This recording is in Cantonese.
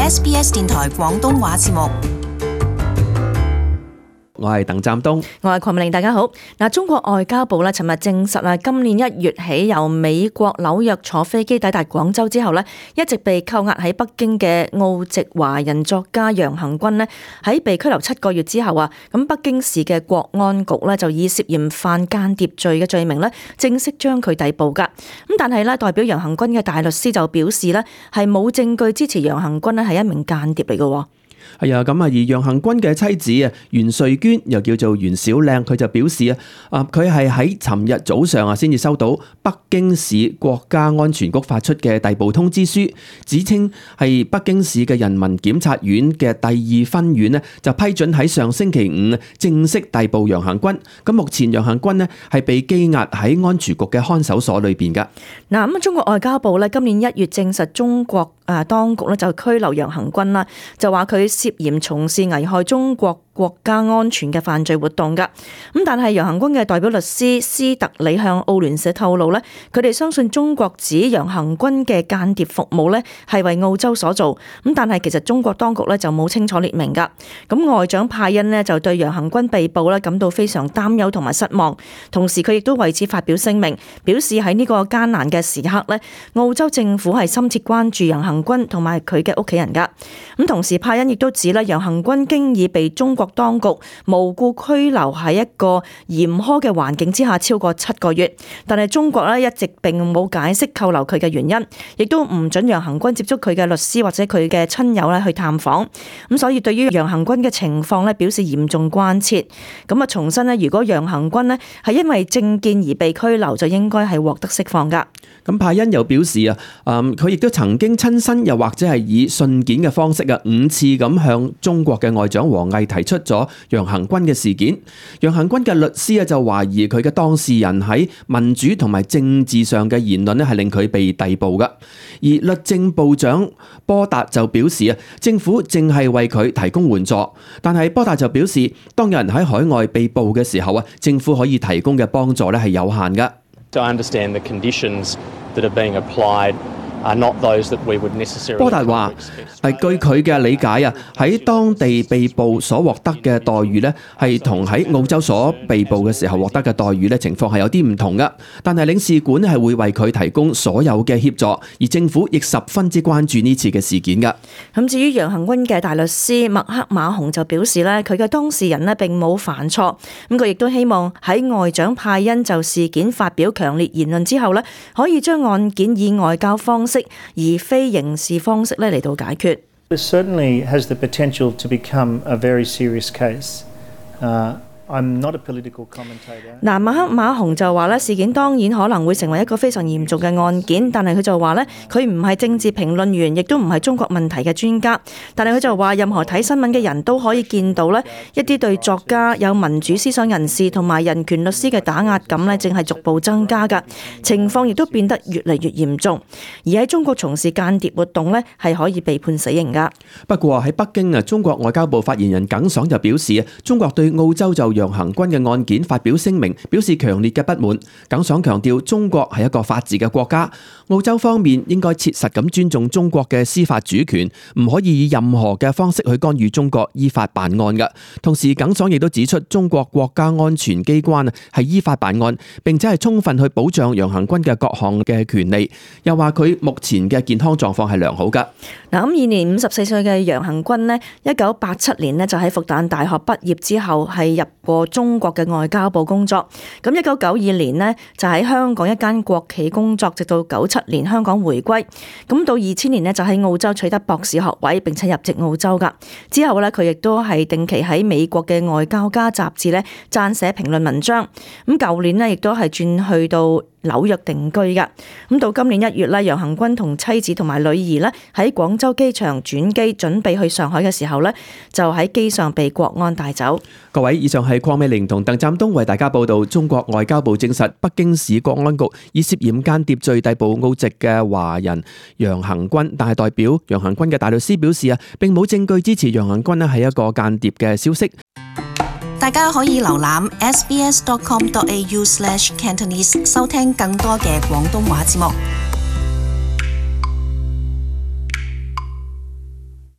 SBS 電台廣東話節目。我係鄧湛東，我係鄺美玲，大家好。中國外交部尋日證實今年1月起由美國紐約坐飛機抵達廣州之後一直被扣押喺北京嘅澳籍華人作家楊恆均喺被拘留7個月之後咁北京市嘅國安局就以涉嫌犯間諜罪嘅罪名正式將佢逮捕噶。咁但係代表楊恆均嘅大律師就表示係冇證據支持楊恆均係一名間諜嚟嘅。係啊，咁而楊恆均嘅妻子袁瑞娟又叫做袁小靚，佢就表示佢係喺尋日早上先至收到北京市國家安全局發出嘅逮捕通知書，指稱係北京市嘅人民檢察院嘅第2分院就批准喺上星期5正式逮捕楊恆均。咁目前楊恆均係被羈押喺安全局嘅看守所裏邊噶。咁中國外交部今年1月證實中國當局就拘留楊恆均就話佢涉嫌從事危害中國國家安全嘅犯罪活動噶。咁但係楊恆均嘅代表律師斯特里向澳聯社透露佢哋相信中國指楊恆均嘅間諜服務係為澳洲所做。咁但係其實中國當局就冇清楚列明噶。咁外長派恩就對楊恆均被捕感到非常擔憂同埋失望，同時佢亦都為此發表聲明，表示喺呢個艱難嘅時刻澳洲政府係深切關注楊恆均同埋佢嘅屋企人噶。咁同時派恩亦都指楊恆均經已被中國當局無故拘留喺一個嚴苛嘅環境之下超過7個月，但係中國一直並冇解釋扣留佢嘅原因，亦都唔准楊恆均接觸佢嘅律師或者佢嘅親友去探訪。咁所以對於楊恆均嘅情況表示嚴重關切。咁重申如果楊恆均係因為政見而被拘留，就應該係獲得釋放噶。咁派恩又表示佢亦都曾經親身又或者係以信件嘅方式5次咁向中國嘅外長王毅提出咗楊恆均嘅事件。楊恆均嘅律師就懷疑佢嘅當事人喺民主同埋政治上嘅言論係令佢被逮捕噶。而律政部長波達就表示政府正係為佢提供援助，但係波達就表示當有人喺海外被捕嘅時候政府可以提供嘅幫助係有限噶。I understand the conditions that are being applied are not those that we would necessarily. 波達話據佢嘅理解喺當地被捕所獲得嘅待遇係同喺澳洲所被捕嘅時候獲得嘅待遇情況係有啲唔同噶。但係領事館係會為佢提供所有嘅協助，而政府亦十分之關注呢次嘅事件噶。咁至於楊恆均嘅大律師麥克馬洪就表示佢嘅當事人並冇犯錯，咁佢亦都希望喺外長派恩就事件發表強烈言論之後可以將案件以外交方式而非刑事方式嚟到解決。This certainly has the potential to become a very serious case. I'm not a political commentator. 麥克馬洪就話事件當然可能會成為一個非常嚴重嘅案件，但係佢就話佢唔係政治評論員，亦都唔係中國問題嘅專家。但係佢就話任何睇新聞嘅人都可以見到一啲對作家、有民主思想人士同埋人權律師嘅打壓感正係逐步增加㗎，情況亦都變得越嚟越嚴重。而喺中國從事間諜活動係可以被判死刑㗎。不過喺北京中國外交部發言人耿爽就表示中國對澳洲就楊恆均嘅案件發表聲明，表示強烈嘅不滿。耿爽強調中國係一個法治嘅國家，澳洲方面應該切實咁尊重中國嘅司法主權，唔可以以任何嘅方式去干預中國依法辦案嘅。同時耿爽亦都指出中國國家安全機關係依法辦案，並且係充分去保障楊恆均嘅各項嘅權利，又話佢目前嘅健康狀況係良好噶。咁現年54歲嘅楊恆均1987年就喺復旦大學畢業之後係入過中國嘅外交部工作。咁1992年就喺香港一間國企工作，直到97年香港回歸。咁到2000年就喺澳洲取得博士學位，並且入籍澳洲噶。之後佢亦都係定期喺美國嘅外交家雜誌撰寫評論文章。咁舊年亦都係轉去到紐約定居噶。咁到今年1月楊恆均同妻子同埋女兒喺廣州機場轉機準備去上海嘅時候就喺機上被國安帶走。各位，以上係鄺美玲同鄧湛東為大家報道中國外交部證實北京市國安局以涉嫌間諜罪逮捕澳籍嘅華人楊恆均，但係代表楊恆均嘅大律師表示並冇證據支持楊恆均係一個間諜嘅消息。大家可以瀏覽 sbs.com.au/cantonese 收聽更多嘅廣東話節目。